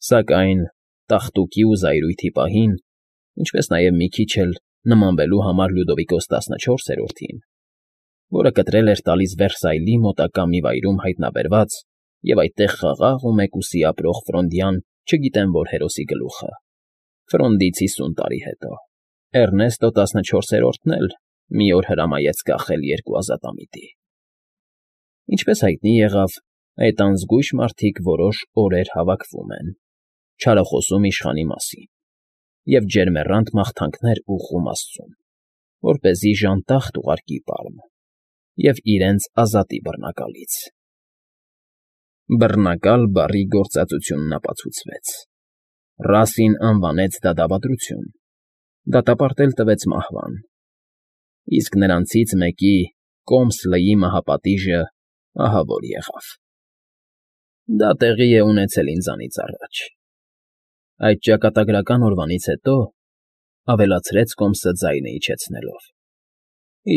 Սակայն տաղտուկի ու զայրույթի պահին, ինչպես նաև մի քիչ էլ նմանվելու համար Լյուդովիկոս 14-ին, որը կտրել էր տալիս Վերսայլի մոտակա մի վայրում հայտնաբերված և այդտեղ խաղաղ ու մեկուսի ապրող Ֆրոնդյան չգիտեմ որ հերոսի գլուխը, Ֆրոնդից 50 տարի հետո, Էռնեստո 14-ն էլ մի օր հրամայեց կախել երկու ազատամիտի։ Ինչպես հայտնի եղավ, այդ անզգույշ մարդիկ որոշ օրեր հավաքվում են, չարախոսում իշխանի մասին և ջերմեռանդ մաղթանքներ ուղղում աստծուն, որպեսզի ժանտախտ ուղարկի պարմ և իրենց ազատի բռնակալից։ Բռնակալ բառի գործածությունն ապացուցվեց. Ռասին անվանեց դա դավադրություն, դատապարտել տվեց մահվան, իսկ նրանցից մեկի Կոմսլեի մահապատիժը ահա որ եղավ։ Դա տեղի է ունեցել ինձանից առաջ։ Այդ ճակատագրական օրվանից հետո, ավելացրեց Կոմսը ձայնը իջեցնելով,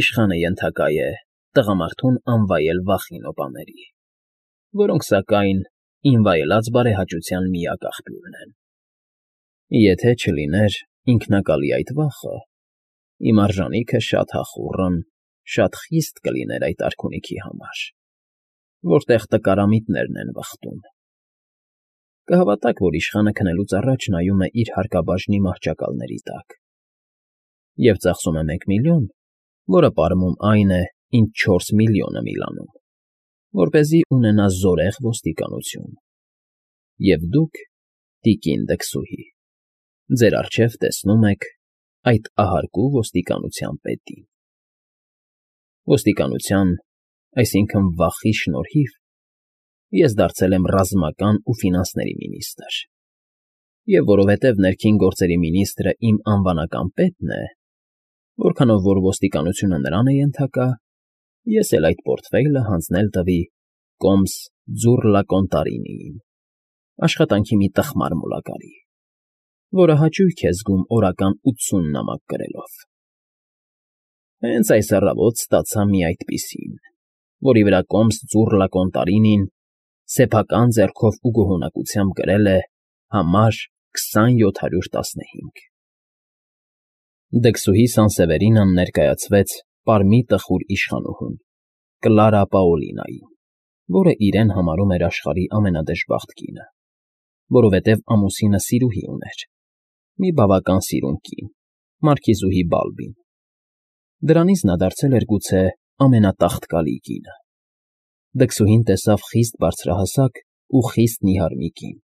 իշխանը ենթակա է տղամարդուն անվայել վախի նոպաների, որոնք, սակայն, ինվայելած բարեհաճության միակ աղբյուրն են։ Եթե չլիներ ինքնակալի այդ վախը, իմ արժանիքը շատ հախուռն, շատ խիստ կլիներ այդ արքունիքի համար, որտեղ տկարամիտներն են վխտում։ Կհավատաք, որ իշխանը քնելուց առաջ նայում է իր հարկաբաժնի մահճակալների տակ և ծախսում է 1 միլիոն, որը պարմում այն է, ինչ 4 միլիոնը Միլանում, որպեսզի ունենա զորեղ ոստիկանություն։ Եվ դուք, տիկին դքսուհի, ձեր առջև տեսնում եք այդ ահարկու ոստիկանության պետին։ Ոստիկանության, այսինքն վախի շնորհիվ ես դարձել եմ ռազմական ու ֆինանսների մինիստր, և որովհետև ներքին գործերի մինիստրը իմ անվանական պետն է, որքանով որ ոստիկանությունը նրան է ենթակա, ես էլ այդ պորտֆեյլը հանձնել տվի Կոմս Ձուռլակոնտարինիին, աշխատանքի մի տխմար մուլակարի, որը հաճույք է զգում օրական 80 նամակ գրելով։ Հենց այս առավոտ ստացա մի այդպիսին, որի վրա Կոմս Ձուռլակոնտարինին սեփական ձեռքով ու գոհունակությամբ գրել է համար 20715։ Դքսուհի Սանսևերինան ներկայացվեց պարմի տխուր իշխանուհուն, Կլարա Պաոլինային, որը իրեն համարում էր աշխարհի ամենադժբախտ կինը, որովհետև ամուսինը սիրուհի ուներ, մի բավական սիրուն կին, մարքիզուհի Բալբին։ Դրանից նա դարձել էր գուցե ամենատաղտկալի կինը։ Դքսուհին տեսավ խիստ բարձրահասակ ու խիստ նիհար մի կին,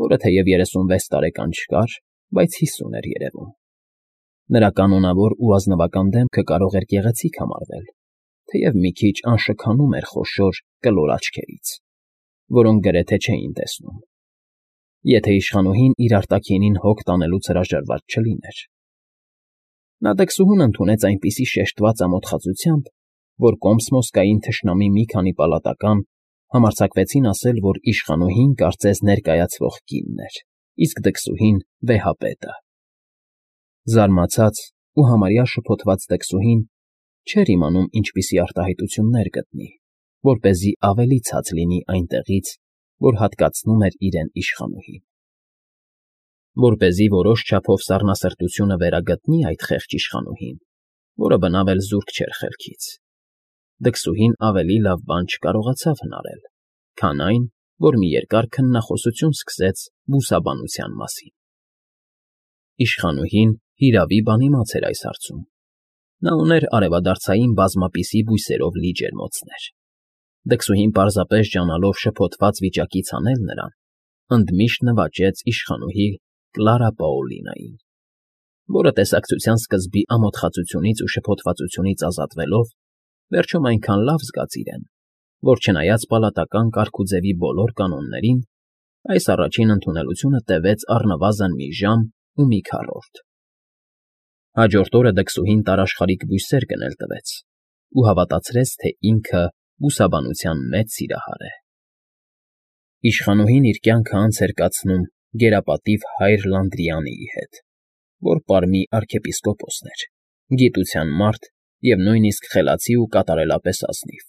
որը թեև 36 տարեկան չկար, բայց 50 էր երևում։ Նրա կանոնավոր ու ազնվական դեմքը կարող էր գեղեցիկ համարվել, թեև մի քիչ անշքանում էր խոշոր կլոր աչքերից, որոնք գրեթե չէին տեսնում, եթե իշխանուհին իր արտաքինին հոգ տանելուց հրաժարված չլիներ։ Նա դքսուհուն ընդունեց այնպիսի շեշտված ամոթխածությամբ, որ Կոմսմոսկային թշնամի մի քանի պալատական համարձակվեցին ասել, որ իշխանուհին կարծես ներկայացվող կինն էր, իսկ դքսուհին վեհապետը։ Զարմացած ու համարյա շփոթված դքսուհին չէր իմանում ինչպիսի արտահայտություններ գտնի, որպեսզի ավելի ցած լինի այնտեղից, որ հատկացնում էր իրեն իշխանուհին։ Որպեսզի որոշ չափով սառնասրտությունը վերագտնի այդ խեղճ իշխանուհին, որը բնավ էլ զուրկ չէր խելքից, դքսուհին ավելի լավ բան չկարողացավ հնարել, քան այն, որ մի երկար քննախոսություն սկսեց բուսաբանության մասին։ Իշխանուհին հիրավի բանիմաց էր այս հարցում։ Նա ուներ արևադարձային բազմապիսի բույսերով լի ջերմոցներ։ Դքսուհին պարզապես ջանալով շփոթված վիճակից հանել նրան, ընդմիշտ նվաճեց իշխանուհի Կլարա Պաոլինային, որը տեսակցության սկզբի ամոթխածությունից ու շփոթվածությունից ազատվելով, վերջում այնքան լավ զգաց իրեն, որ չնայած պալատական կարգուձևի բոլոր կանոններին, այս առաջին ընդունելությունը տևեց առնվազն մի ժամ ու մի քառորդ։ Հաջորդ օրը դքսուհին տարաշխարիկ բույսեր գնել տվեց ու հավատացրեց, թե ինքը բուսաբանության մեծ սիրահար է։ Իշխանուհին իր կյանքը անց էր կացնում գերապատիվ հայր Լանդրիանիի հետ, որ պարմի արքեպիսկոպոսն էր, գիտության մարդ և նույնիսկ խելացի ու կատարելապես ազնիվ,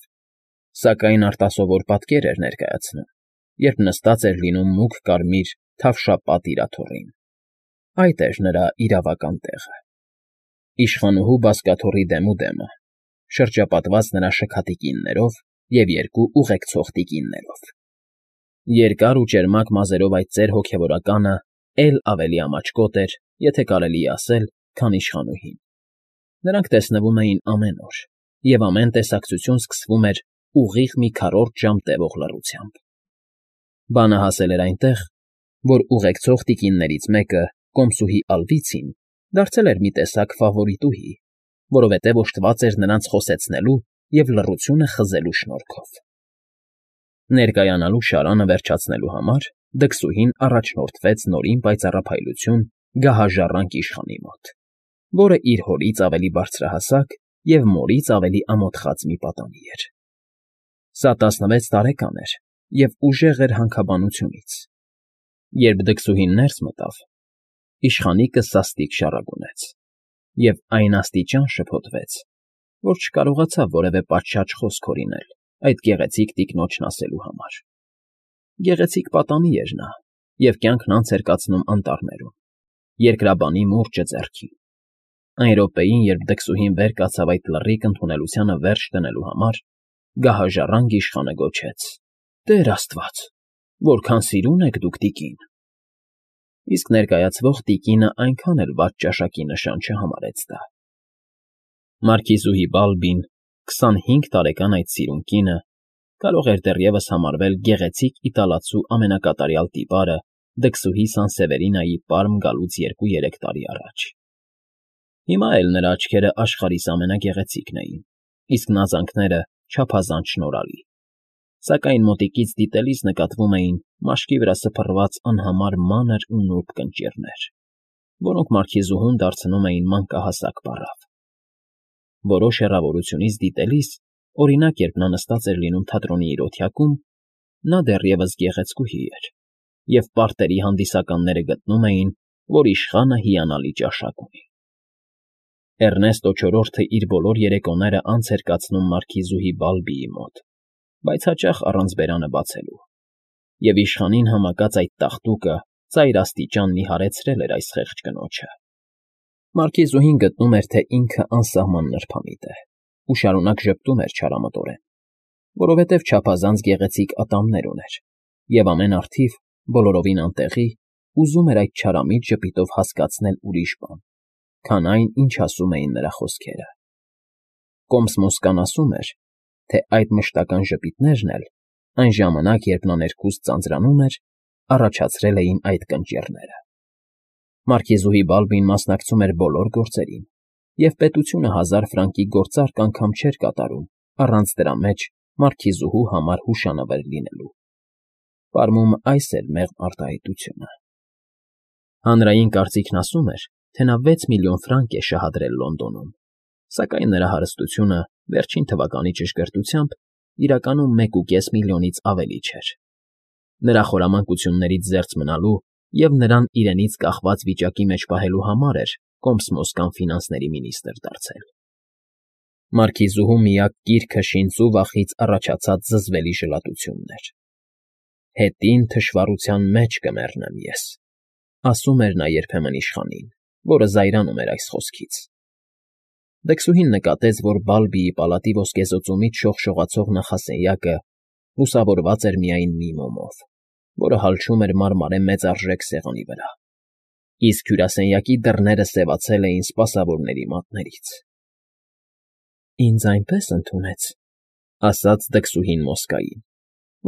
սակայն արտասովոր պատկեր էր ներկայացնում, երբ նստած էր լինում մուգ կարմիր թավշապատ իրաթոռին։ Այդ էր նրա իրավական տեղը։ Իշխանուհու բազկաթոռի դեմը, շրջապատված նրա շքաթի կիններով և երկու ուղեկցող տիկիններով։ Երկար ու ճերմակ մազերով այդ ծեր հոգևորականը էլ ավելի ամաչկոտ էր, եթե կարելի է ասել, քան իշխանուհին։ Նրանք տեսնվում էին ամեն օր, և ամեն տեսակցություն սկսվում էր ուղիղ մի քառորդ ժամ տևող լռությամբ։ Բանը հասել էր այնտեղ, որ ուղեկցող տիկիններից մեկը, կոմսուհի Ալվիցին, դարձել էր մի տեսակ ֆավորիտուհի, որովհետև օժտված էր նրանց խոսեցնելու և լռությունը խզելու շնորհքով։ Ներկայանալու շարանը վերջացնելու համար դքսուհին առաջնորդվեց նորին պայծառափայլություն գահաժառանգ իշխանի մոտ, որը իր հորից ավելի բարձրահասակ և մորից ավելի ամոթխած մի պատանի էր։ Սա 16 տարեկան էր և ուժեղ էր հանքաբանությունից։ Երբ դքսուհին ներս մտավ, իշխանիկը սաստիկ շառագունեց և այն աստիճան շփոթվեց, որ չկարողացավ որևէ պատշաճ խոսք հորինել այդ գեղեցիկ տիկնոջն ասելու համար։ Գեղեցիկ պատանի էր նա և կյանքն անց էր կացնում անտառներում, երկրաբանի մուրճը ձեռքին։ Այն րոպեին, երբ դքսուհին վեր կացավ այդ լռիկ ընդունելությանը վերջ դնելու համար, գահաժառանգ իշխանը գոչեց. «Տեր աստված, որքան սիրուն եք դուք, տիկին»։ Իսկ ներկայացվող տիկինը այնքան էլ վատ ճաշակի նշան չհամարեց դա։ Մարքիզուհի Բալբին, 25 տարեկան այդ սիրուն կինը, կարող էր դեռևս համարվել գեղեցիկ իտալացու ամենակատարյալ տիպարը դքսուհի Սանսևերինայի պարմ գալուց 2-3 տարի առաջ։ Հիմա էլ նրա աչքերը աշխարհիս ամենագեղեցիկն էին, իսկ նազանքները չափազանց շնորհալի, սակայն մոտիկից դիտելիս նկատվում էին մաշկի վրա սփռված անհամար մանր ու նուրբ կնճիռներ, որոնք մարքիզուհուն դարձնում էին մանկահասակ պառավ։ Որոշ հեռավորությունից դիտելիս, օրինակ, երբ նա նստած էր լինում թատրոնի իր օթյակում, նա դեռևս գեղեցկուհի էր, և պարտերի հանդիսականները գտնում էին, որ իշխանը հիանալի ճաշակ ունի։ Էռնեստո չորրորդը իր բոլոր երեկոները անց էր կացնում մարքիզուհի Բալբիի մոտ, բայց հաճախ առանց բերանը բացելու, և իշխանին համակած այդ տաղտուկը ծայրաստիճան նիհարեցրել էր այս խեղճ կնոջը։ Մարքիզուհին գտնում էր, թե ինքը անսահման նրբամիտ է ու շարունակ ժպտում էր չարամտորեն, որովհետև չափազանց գեղեցիկ ատամներ ուներ, և ամեն առթիվ, բոլորովին անտեղի, ուզում էր այդ չարամիտ ժպիտով հասկացնել ուրիշ բան, քան այն, ինչ ասում էին նրա խոսքերը։ Կոմս Մոսկան ասում էր, թե այդ մշտական ժպիտներն էլ, այն ժամանակ, երբ նա ներքուստ ձանձրանում էր, առաջացրել էին այդ կնճիռները։ Մարքիզուհի Բալբին մասնակցում էր բոլոր գործերին, և պետությունը 1000 ֆրանկի գործարք անգամ չէր կատարում առանց դրա մեջ մարքիզուհու համար հուշանվեր լինելու։ Պարմում այս էր մեղմ արտահայտությունը։ Հանրային կարծիքն ասում էր, թե նա 6 միլիոն ֆրանկ է շահադրել Լոնդոնում, սակայն նրա հարստությունը վերջին թվականի ճշգրտությամբ իրականում 1,5 միլիոնից ավելի չէր։ Նրա խորամանկություններից զերծ մնալու և նրան իրենից կախված վիճակի մեջ պահելու համար էր Կոմս Մոսկան ֆինանսների մինիստրը դարձել։ Մարքիզուհու միակ կիրքը շինծու վախից առաջացած զզվելի ժլատությունն էր։ «Հետին թշվառության մեջ կմեռնեմ ես», ասում էր նա երբեմն իշխանին, որը զայրանում էր այս խոսքից։ Դքսուհին նկատեց, որ Բալբիի պալատի ոսկեզօծումից շողշողացող նախասենյակը լուսավորված էր միայն մի մոմով, որը հալչում էր մարմարե մեծարժեք սեղանի վրա, իսկ հյուրասենյակի դռները սևացել էին սպասավորների մատներից։ «Ինձ այնպես ընդունեց,» ասաց դքսուհին Մոսկային,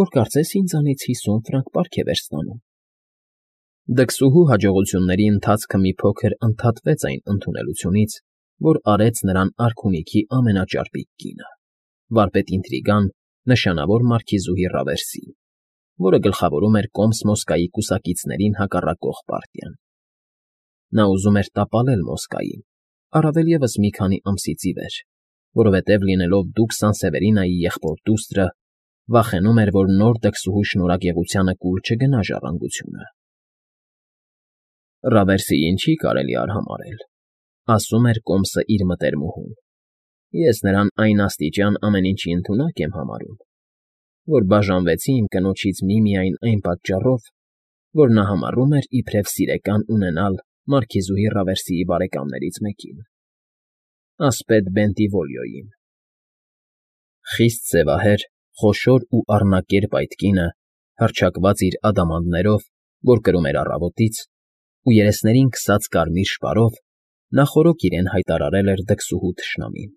«որ կարծես ինձանից 50 ֆրանկ պարգև էր ստանում»։ Դքսուհու հաջողությունների ընթացքը մի փոքր ընդհատվեց այն ընդունելությունից, որ արեց նրան արքունիքի ամենաճարպիկ կինը, վարպետ ինտրիգան, նշանավոր մարքիզուհի Ռավերսին, որը գլխավորում էր Կոմս Մոսկայի կուսակիցներին հակառակող պարտիան։ Նա ուզում էր տապալել Մոսկային, առավել ևս մի քանի ամսից ի վեր, որովհետև լինելով դուք Սանսևերինայի եղբոր դուստրը, վախենում էր, որ նոր դքսուհու շնորհագեղությանը կուլ չգնա ժառանգությունը։ Ռավերսիին չի կարելի արհամարհել, ասում էր Կոմսը իր մտերմուհուն։ Ես նրան այն աստիճան ամեն ինչի ընդունակ եմ համարում, որ բաժանվեցի իմ կնոջից միմիայն այն պատճառով, որ նա համարում էր իբրև սիրեկան ունենալ մարքիզուհի Ռավերսիի բարեկամներից մեկին, ասպետ Բենտիվոլիոյին։ Խիստ սևահեր, խոշոր ու առնակերպ այդ կինը, հռչակված իր ադամանդներով, որ կրում էր առավոտից, ու երեսներին քսած կարմիր շպարով, նախօրոք իրեն հայտարարել էր դքսուհու թշնամին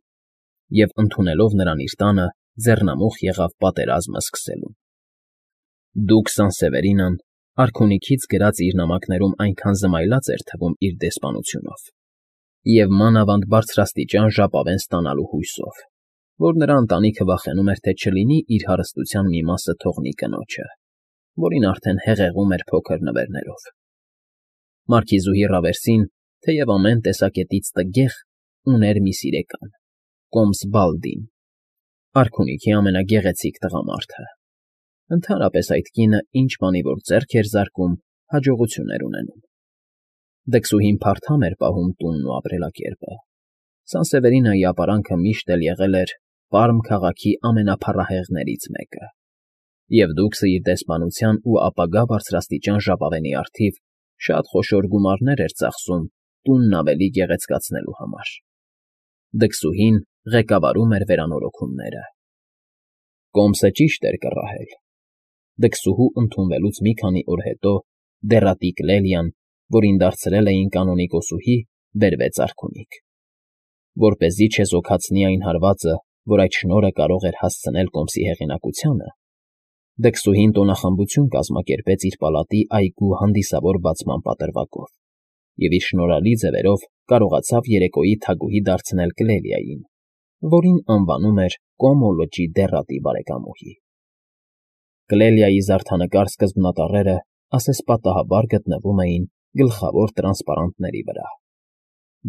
և, ընդունելով նրան իր տանը, ձեռնամուխ եղավ պատերազմը սկսելու։ Դուկ Սանսևերինան արքունիքից գրած իր նամակներում այնքան զմայլած էր թվում իր դեսպանությունով և մանավանդ բարձրաստիճան ժապավեն ստանալու հույսով, որ նրա ընտանիքը վախենում էր, թե չլինի իր հարստության մի մասը թողնի կնոջը, որին արդեն հեղեղում էր փոքր նվերներով։ Մարքիզուհի Ռավերսին, թեև ամեն տեսակետից տգեղ, ուներ մի սիրեկան, կոմս Բալդին, արքունիքի ամենագեղեցիկ տղամարդը։ Ընդհանրապես այդ կինը ինչ բանի որ ձեռք էր զարկում, հաջողություն էր ունենում։ Դքսուհին փարթամ էր պահում տունն ու ապրելակերպը։ Սանսևերինայի ապարանքը միշտ էլ եղել էր Պարմ քաղաքի ամենափառահեղներից մեկը, և դուքսը իր դեսպանության ու ապագա բարձրաստիճան ժապավենի առթիվ շատ խոշոր գումարներ էր ծախսում տունն ավելի գեղեցկացնելու համար։ Դքսուհին ղեկավարում էր վերանորոգումները։ Կոմսը ճիշտ էր կռահել։ Դքսուհու ընդունվելուց մի քանի օր հետո դեռատիկ Լելիան, որին դարձրել էին կանոնիկոսուհի, բերվեց արքունիք։ Որպեսզի չեզոքացնի այն հարվածը, որ այդ շնորհը կարող էր հասցնել կոմսի հեղինակությանը, դքսուհին տոնախմբություն կազմակերպեց իր պալատի այգու հանդիսավոր բացման պատրվակով և իր շնորհալի ձևերով կարողացավ երեկոյի թագուհի դարձնել Կլելիային, որին անվանում էր Կոմո լճի դեռատի բարեկամուհի։ Կլելիայի զարդանկար սկզբնատառերը ասեսպատահաբար գտնվում էին գլխավոր տրանսպարանտների վրա։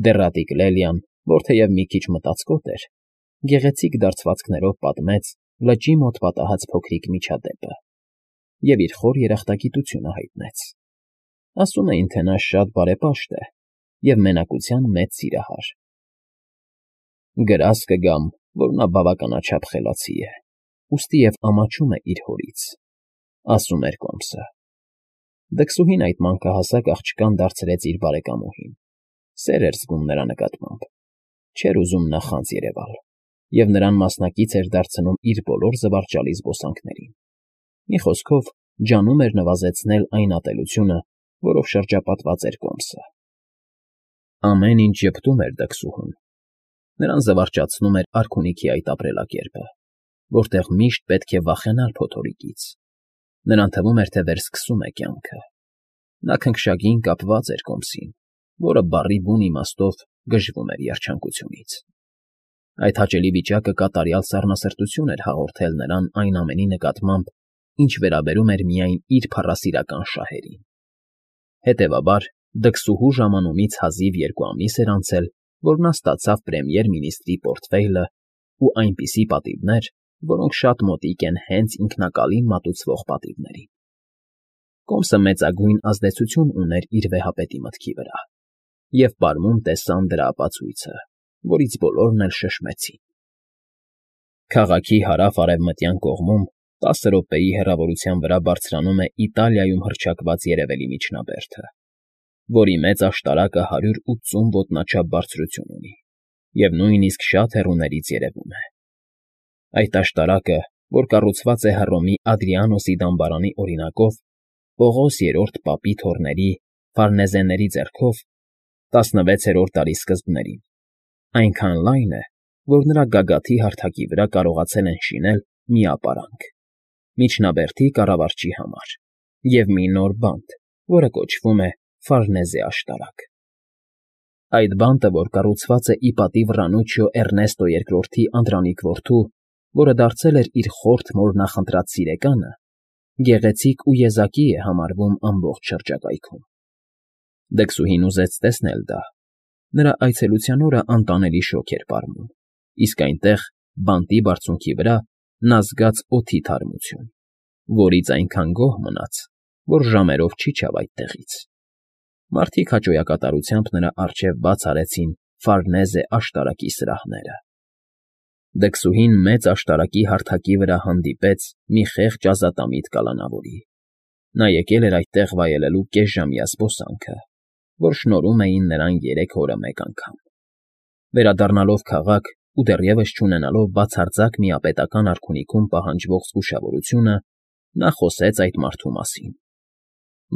Դեռատի Կլելիան, որ թեև մի քիչ մտածկոտ էր, գեղեցիկ դարձվածքներով պատմեց լճի մոտ պատահած փոքրիկ միջադեպը և իր խոր երախտագիտությունը հայտնեց։ Ասում էին, թե նա շատ բարեպաշտ է և մենակության մեծ սիրահար։ Գրազ կգամ, որ նա բավականաչափ խելացի է, ուստի և ամաչում է իր հորից, ասում էր կոմսը։ Դքսուհին այդ մանկահասակ աղջկան դարձրեց իր բարեկամուհին, սեր էր զգում նրա նկատմամբ, չէր ուզում նախանձ երևալ և նրան մասնակից էր դարձնում իր բոլոր զվարճալի զբոսանքներին։ Մի խոսքով, ջանում էր նվազեցնել այն ատելությունը, որով շրջապատված էր կոմսը։ Ամեն ինչ ժպտում էր դքսուհուն։ Նրան զվարճացնում էր արքունիքի այդ ապրելակերպը, որտեղ միշտ պետք է վախենալ փոթորիկից։ Նրան թվում էր, թե վերսկսում է կյանքը։ Նա քնքշագին կապված էր կոմսին, որը բառի բուն իմաստով գժվում էր երջանկությունից։ Այդ հաճելի վիճակը կատարյալ սառնասրտություն էր հաղորդել նրան այն ամենի նկատմամբ, ինչ վերաբերում էր միայն իր փառասիրական շահերին։ Հետևաբար, դքսուհու ժամանումից հազիվ 2 ամիս էր անցել, որ նա ստացավ պրեմիեր֊մինիստրի պորտֆեյլը ու այնպիսի պատիվներ, որոնք շատ մոտիկ են հենց ինքնակալին մատուցվող պատիվներին։ Կոմսը մեծագույն ազդեցություն ուներ իր վեհապետի մտքի վրա, և պարմում տեսան դրա ապացույցը, որից բոլորն էլ շշմեցին։ Քաղաքի հարավ֊արևմտյան կողմում 10 րոպեի հեռավորության վրա բարձրանում է Իտալիայում հռչակված երևելի միջնաբերդը, որի մեծ աշտարակը 180 ոտնաչափ բարձրություն ունի և նույնիսկ շատ հեռուներից երևում է։ Այդ աշտարակը, որ կառուցված է Հռոմի Ադրիանոսի դամբարանի օրինակով, Պողոս III պապի թոռների Ֆարնեզեների ձեռքով 16-րդ դարի սկզբներին, այնքան լայն է, որ նրա գագաթի հարթակի վրա կարողացել են շինել մի ապարանք, միջնաբերդի կառավարչի համար, և մի նոր բանտ, որը կոչվում է Ֆարնեզե աշտարակ։ Այդ բանտը, որ կառուցված է ի պատիվ Ռանուչիո Էռնեստո II-ի անդրանիկ որդու, որը դարձել էր իր խորթ մոր նախընտրած սիրեկանը, գեղեցիկ ու եզակի է համարվում ամբողջ շրջակայքում։ Դքսուհին ուզեց տեսնել դա։ Նրա այցելության օրը անտանելի շոգ էր պարմում, իսկ այնտեղ, բանտի բարձունքի վրա, նա զգաց օդի թարմություն, որից այնքան գոհ մնաց, որ ժամերով չիջավ այդտեղից։ Մարդիկ հաճոյակատարությամբ նրա առջև բաց արեցին Ֆարնեզե աշտարակի սրահները։ Դքսուհին մեծ աշտարակի հարթակի վրա հանդիպեց մի խեղճ ազատամիտ կալանավորի, Նա եկել էր այդտեղ վայելելու կեսժամյա զբոսանքը, որ շնորհում էին նրան 3 օրը մեկ անգամ։ Վերադառնալով քաղաք ու դեռևս չունենալով բացարձակ միապետական արքունիքում պահանջվող զգուշավորությունը, նա խոսեց այդ մարդու մասին,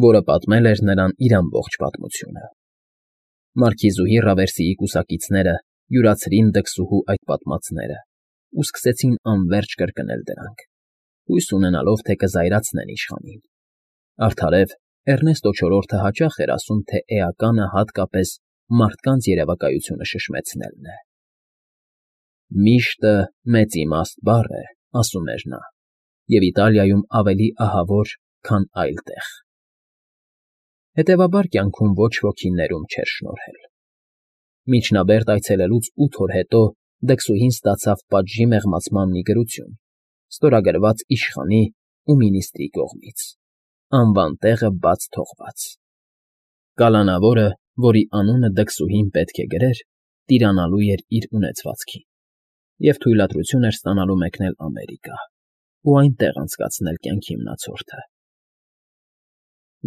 որը պատմել էր նրան իր ամբողջ պատմությունը։ Մարքիզուհի Ռավերսիի կուսակիցները յուրացրին դքսուհու այդ պատմածները ու սկսեցին անվերջ կրկնել դրանք, հույս ունենալով, թե կզայրացնեն իշխանին։ Արդարև, Էռնեստո չորրորդը հաճախ էր ասում, թե էականը հատկապես մարդկանց երևակայությունը շշմեցնելն է։ «Միշտը մեծ իմաստ բառ է», ասում էր նա, և Իտալիայում ավելի ահավոր, քան այլ տեղ։ Հետևաբար կյանքում ոչ ոքի ներում չէր շնորհել։ Միջնաբերդ այցելելուց 8 օր հետո դքսուհին ստացավ պատժի մեղմացման մի գրություն, ստորագրված իշխանի ու մինիստրի կողմից, անվան տեղը բաց թողված։ Կալանավորը, որի անունը դքսուհին պետք է գրեր, տիրանալու էր իր ունեցվածքին և թույլատրություն էր ստանալու մեկնել Ամերիկա ու այնտեղ անցկացնել կյանքի մնացորդը։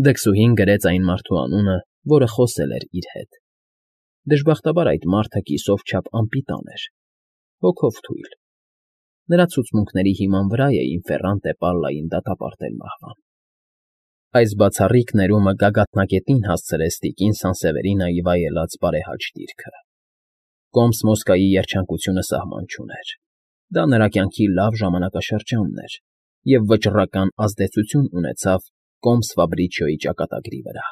Դքսուհին գրեց այն մարդու անունը, որը խոսել էր իր հետ։ Դժբախտաբար այդ մարդը կիսով չափ անպիտան էր, հոգով թույլ։ Նրա ցուցմունքների հիման վրա էին Ֆերրանտե Պալլային դատապարտել մահվան։ Այս բացառիկ ներումը գագաթնակետին հասցրեց տիկին Սանսևերինայի վայելած բարեհաճ դիրքը։ Կոմս Մոսկվայի երջանկությունը սահման չուներ։ Դա նրա կյանքի լավ ժամանակաշրջանն էր և վճռական ազդեցություն ունեցավ Կոմս Ֆաբրիչիոյի ճակատագրի վրա։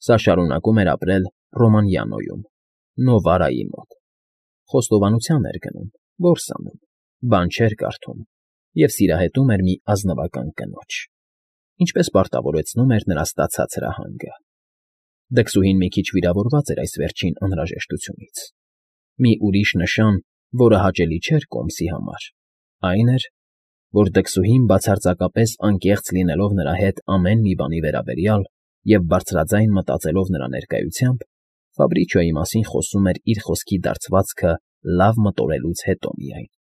Սա շարունակում էր ապրել Ռոմանիանոյում, Նովարայի մոտ։ Խոստովանության էր գնում, որս անում, բան չէր կարդում և սիրահետում էր մի ազնվական կնոջ, ինչպես պարտավորեցնում էր նրա ստացած հրահանգը։ Դքսուհին մի քիչ վիրավորված էր այս վերջին անհրաժեշտությունից։ Մի ուրիշ նշան, որը հաճելի չէր Կոմսի համար, այն էր, որ դքսուհին բացարձակապես անկեղծ լինելով նրա հետ ամեն մի բանի վերաբերյալ և բարձրաձայն մտածելով նրա ներկայությամբ, Ֆաբրիչիոյի մասին խոսում էր իր խոսքի դարձվածքը լավ մտորելուց հետո միայն։